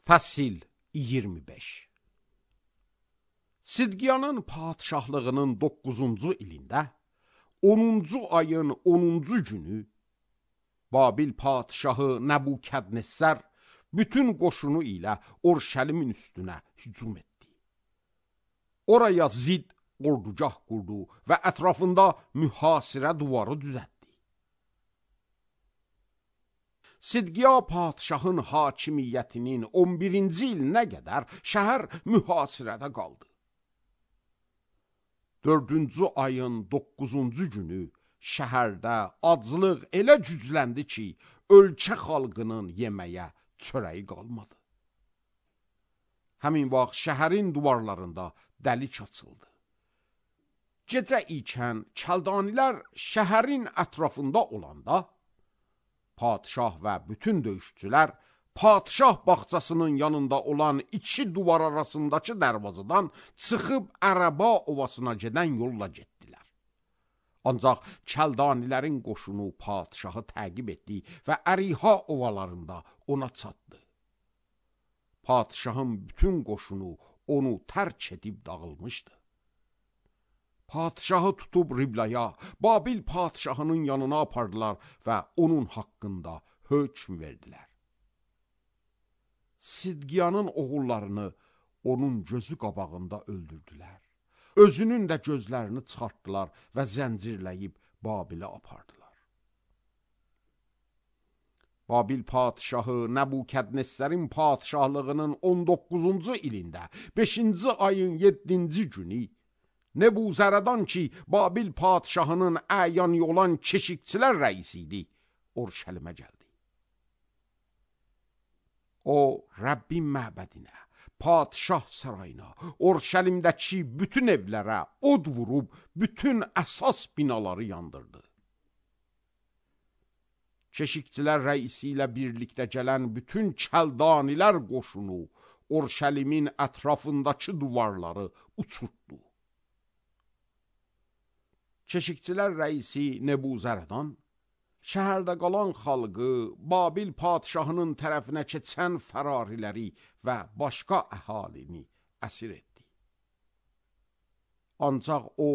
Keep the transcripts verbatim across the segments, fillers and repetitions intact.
Fəsil iyirmi beş. Sidqiyanın padişahlığının doqquzuncu ilində, onuncu ayın onuncu günü, Babil padişahı Nəbukədnəssər bütün qoşunu ilə Urşəlimin üstünə hücum etdi. Oraya zid ordugah qurdu və ətrafında mühasirə duvarı düzətdi. Sidqiya padişahın hakimiyyətinin on birinci ilinə qədər şəhər mühasirədə qaldı. Dördüncü ayın doqquzuncu günü şəhərdə aclıq elə gücləndi ki, ölkə xalqının yeməyə çörəyi qalmadı. Həmin vaxt şəhərin divarlarında dəlik açıldı. Gecə ikən kəldanilər şəhərin ətrafında olanda, padişah və bütün döyüşçülər padişah bağçasının yanında olan iki duvar arasındakı dərvazadan çıxıb Ərəba ovasına gedən yolla getdilər. Ancaq kəldanilərin qoşunu padişahı təqib etdi və Əriha ovalarında ona çatdı. Padişahın bütün qoşunu onu tərk edib dağılmışdı. Padişahı tutub Riblaya, Babil padişahının yanına apardılar və onun haqqında hökm verdilər. Sidqiyanın oğullarını onun gözü qabağında öldürdülər. Özünün də gözlərini çıxartdılar və zəncirləyib Babilə apardılar. Babil padişahı Nəbukədnəssərin padişahlığının on doqquzuncu ilində, beşinci ayın yeddinci günü, Nebuzərədan ki, Babil padişahının əyanı olan keşikçilər rəisi idi, Urşəlimə gəldi. O, Rəbbin məbədinə, padişah sarayına, Urşəlimdəki bütün evlərə od vurub, bütün əsas binaları yandırdı. Keşikçilər rəisi ilə birlikdə gələn bütün kəldanilər qoşunu Urşəlimin ətrafındakı duvarları uçurtdu. Keşikçilər rəisi Nebuzərədan, şəhərdə qalan xalqı, Babil padişahının tərəfinə keçən fərariləri və başqa əhalini əsir etdi. Ancaq o,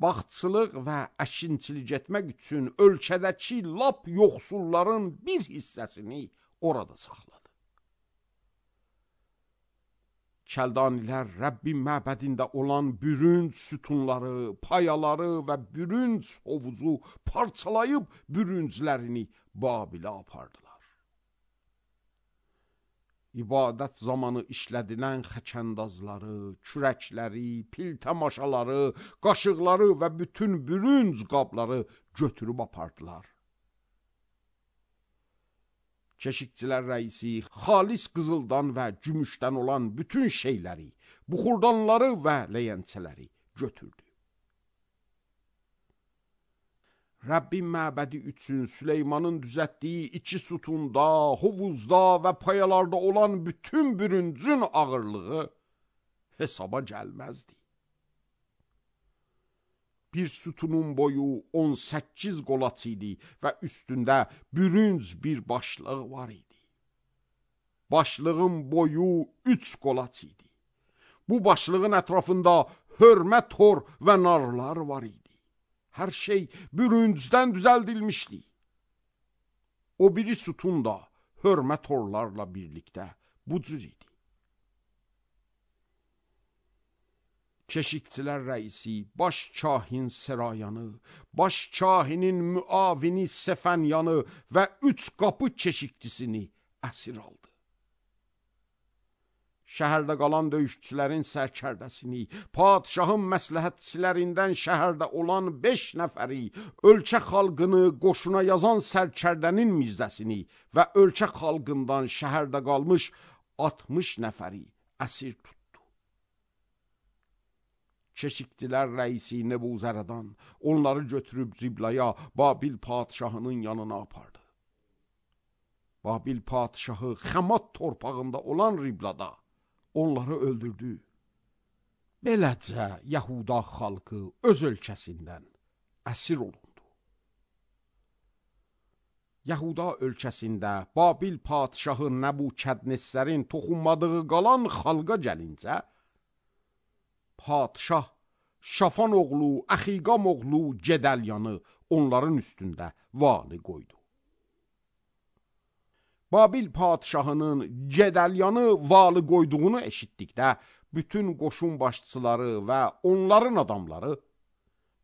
bağçılıq və əkinçilik etmək üçün ölkədəki lap yoxsulların bir hissəsini orada saxladı. Kəldanilər Rəbbin məbədində olan bürünc sütunları, payaları və bürünc hovuzu parçalayıb bürünclərini Babilə apardılar. İbadət zamanı işlədilən xəkəndazları, kürəkləri, piltəmaşaları, qaşıqları və bütün bürünc qabları götürüb apardılar. Keşikçilər rəisi xalis qızıldan və gümüşdən olan bütün şeyləri, buxurdanları və ləyəncələri götürdü. Rəbbin məbədi üçün Süleymanın düzətdiyi iki sütunda, hovuzda və payalarda olan bütün bürüncün ağırlığı hesaba gəlməzdi. Bir sütunun boyu on səkkiz qolaç idi və üstündə bürünc bir başlıq var idi. Başlığın boyu üç qolaç idi. Bu başlığın ətrafında hörmə tor və narlar var idi. Hər şey bürüncdən düzəldilmişdi. O biri sütun da hörmə torlarla birlikdə bu cür idi. Keşikçilər rəisi, baş kahin Serayanı, baş kahinin müavini Sefənyanı və üç qapı keşikçisini əsir aldı. Şəhərdə qalan döyüşçülərin sərkərdəsini, padişahın məsləhətçilərindən şəhərdə olan beş nəfəri, ölkə xalqını qoşuna yazan sərkərdənin mirzəsini və ölkə xalqından şəhərdə qalmış altmış nəfəri əsir tutdu. Keşikçilər rəisi Nebuzərədan onları götürüb Riblaya, Babil padişahının yanına apardı. Babil padişahı Xəmat torpağında olan Riblada onları öldürdü. Beləcə Yahuda xalqı öz ölkəsindən əsir olundu. Yahuda ölkəsində Babil padşahı Nəbukədnezərin toxunmadığı qalan xalqa gəlincə, padşah Şafan oğlu, Əxiqam oğlu Gedəlyanı onların üstündə vali qoydu. Babil padşahının Gedəlyanı vali qoyduğunu eşitdikdə, bütün qoşun başçıları və onların adamları,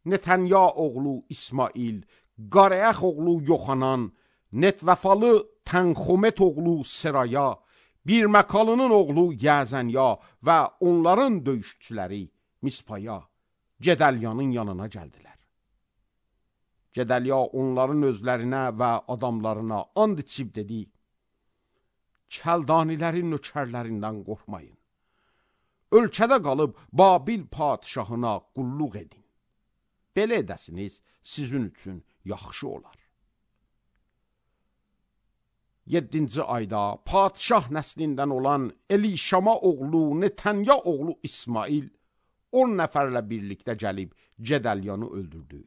Netanya oğlu İsmail, Qarayəx oğlu Yoxanan, Netvəfalı Tənxomet oğlu Seraya, Birməkalının oğlu Yəzənya və onların döyüşçüləri Mispaya, Gedəlyanın yanına gəldilər. Gedəlya onların özlərinə və adamlarına and içib dedi, Kəldanilərin nökərlərindən qorxmayın. Ölkədə qalıb Babil padşahına qulluq edin. Belə edəsiniz, sizin üçün yaxşı olar. Yeddinci ayda padşah nəslindən olan Elişama oğlu Netanya oğlu İsmail on nəfərlə birlikdə gəlib Gedəlyanı öldürdü.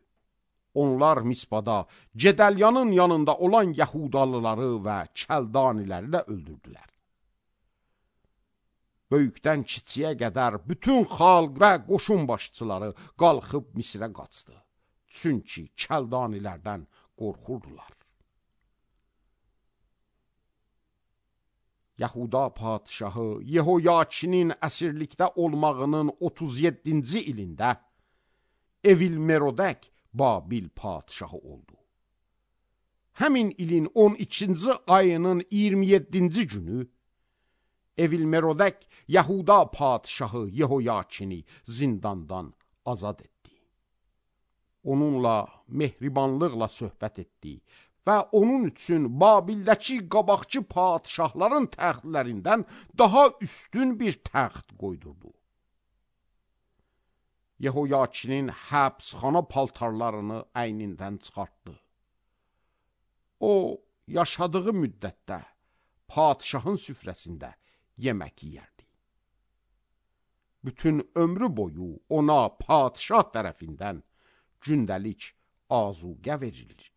Onlar Mispada Gedəlyanın yanında olan Yahudalıları və Kəldaniləri də öldürdülər. Böyükdən kiçiyə qədər bütün xalq və qoşun başçıları qalxıb Misrə qaçdı. Çünki Kəldanilərdən qorxurdular. Yahuda padşahı Yehoyakinin əsirlikdə olmağının otuz yeddinci ilində Evil-Merodək Babil padşahı oldu. Həmin ilin on ikinci ayının iyirmi yeddinci günü Evil-Merodək Yahuda padşahı Yehoyakini zindandan azad etdi. Onunla mehribanlıqla söhbət etdi və onun üçün Babildəki qabaqçı padşahların təxtlərindən daha üstün bir təxt qoydurdu. Yehoyakinin həbsxana paltarlarını əynindən çıxartdı. O, yaşadığı müddətdə padşahın süfrəsində yemək yeyərdi. Bütün ömrü boyu ona padşah tərəfindən gündəlik azuqə verilirdi.